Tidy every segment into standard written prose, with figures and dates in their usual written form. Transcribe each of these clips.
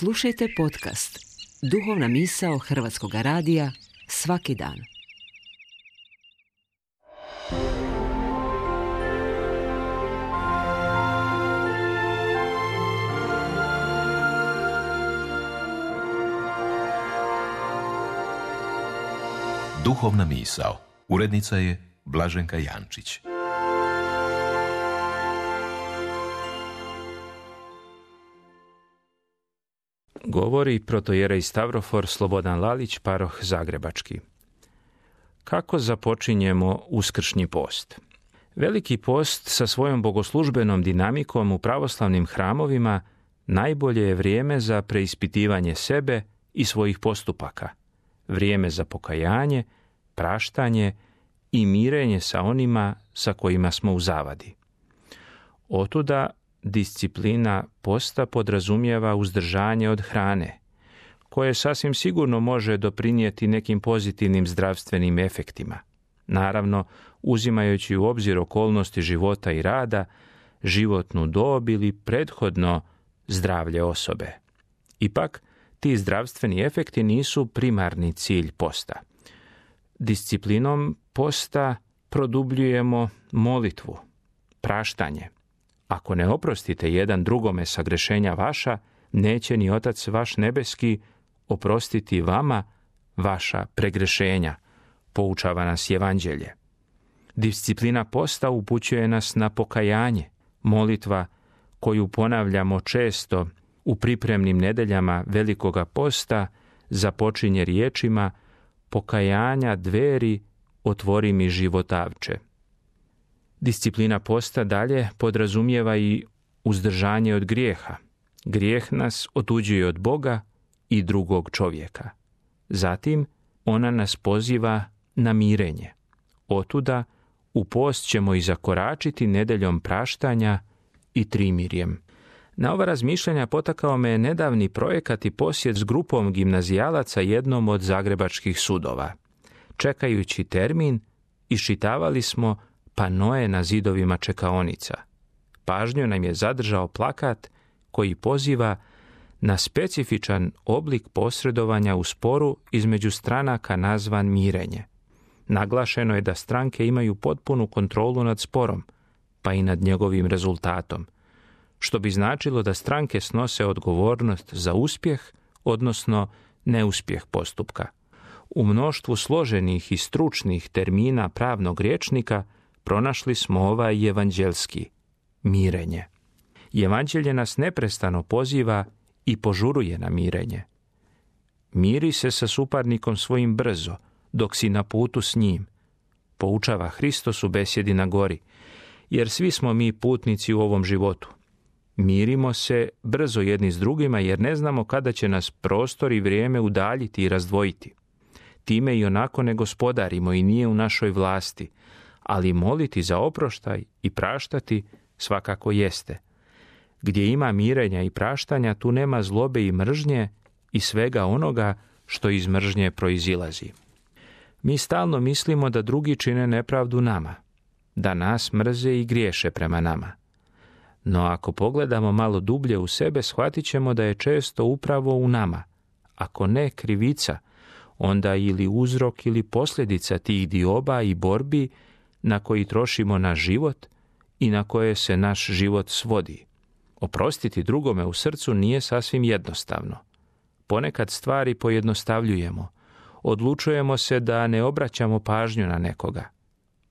Slušajte podcast Duhovna misao Hrvatskog radija svaki dan. Duhovna misao. Urednica je Blaženka Jančić. Govori protojerej Stavrofor Slobodan Lalić, paroh Zagrebački. Kako započinjemo uskršnji post? Veliki post sa svojom bogoslužbenom dinamikom u pravoslavnim hramovima najbolje je vrijeme za preispitivanje sebe i svojih postupaka, vrijeme za pokajanje, praštanje i mirenje sa onima sa kojima smo u zavadi. Otuda disciplina posta podrazumijeva uzdržanje od hrane, koje sasvim sigurno može doprinijeti nekim pozitivnim zdravstvenim efektima. Naravno, uzimajući u obzir okolnosti života i rada, životnu dob ili prethodno zdravlje osobe. Ipak, ti zdravstveni efekti nisu primarni cilj posta. Disciplinom posta produbljujemo molitvu, praštanje. Ako ne oprostite jedan drugome sagrešenja vaša, neće ni Otac vaš nebeski oprostiti vama vaša pregrešenja, poučava nas Evanđelje. Disciplina posta upućuje nas na pokajanje, molitva koju ponavljamo često u pripremnim nedeljama Velikoga posta započinje riječima: pokajanja dveri, otvori mi životavče. Disciplina posta dalje podrazumijeva i uzdržanje od grijeha. Grijeh nas otuđuje od Boga i drugog čovjeka. Zatim, ona nas poziva na mirenje. Otuda, u post ćemo i zakoračiti nedeljom praštanja i trimirjem. Na ova razmišljanja potakao me nedavni projekat i posjet s grupom gimnazijalaca jednom od zagrebačkih sudova. Čekajući termin, iščitavali smo panoe na zidovima čekaonica. Pažnju nam je zadržao plakat koji poziva na specifičan oblik posredovanja u sporu između stranaka nazvan mirenje. Naglašeno je da stranke imaju potpunu kontrolu nad sporom, pa i nad njegovim rezultatom, što bi značilo da stranke snose odgovornost za uspjeh, odnosno neuspjeh postupka. U mnoštvu složenih i stručnih termina pravnog rječnika pronašli smo ovaj evanđelski: mirenje. Evanđelje nas neprestano poziva i požuruje na mirenje. Miri se sa suparnikom svojim brzo, dok si na putu s njim, poučava Hristos u besjedi na gori, jer svi smo mi putnici u ovom životu. Mirimo se brzo jedni s drugima, jer ne znamo kada će nas prostor i vrijeme udaljiti i razdvojiti. Time i onako ne gospodarimo i nije u našoj vlasti, ali moliti za oproštaj i praštati svakako jeste. Gdje ima mirenja i praštanja, tu nema zlobe i mržnje i svega onoga što iz mržnje proizilazi. Mi stalno mislimo da drugi čine nepravdu nama, da nas mrze i griješe prema nama. No ako pogledamo malo dublje u sebe, shvatit ćemo da je često upravo u nama, ako ne krivica, onda ili uzrok ili posljedica tih dioba i borbi na koji trošimo naš život i na koje se naš život svodi. Oprostiti drugome u srcu nije sasvim jednostavno. Ponekad stvari pojednostavljujemo. Odlučujemo se da ne obraćamo pažnju na nekoga.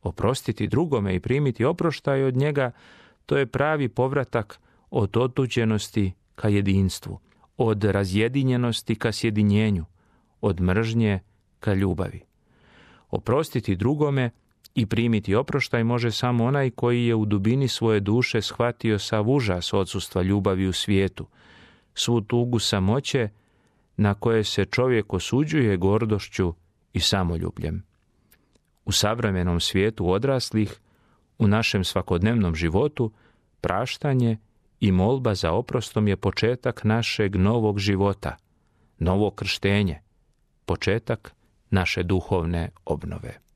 Oprostiti drugome i primiti oproštaj od njega, to je pravi povratak od otuđenosti ka jedinstvu, od razjedinjenosti ka sjedinjenju, od mržnje ka ljubavi. Oprostiti drugome i primiti oproštaj može samo onaj koji je u dubini svoje duše shvatio sav užas odsustva ljubavi u svijetu, svu tugu samoće na koje se čovjek osuđuje gordošću i samoljubljem. U savremenom svijetu odraslih, u našem svakodnevnom životu, praštanje i molba za oprostom je početak našeg novog života, novo krštenje, početak naše duhovne obnove.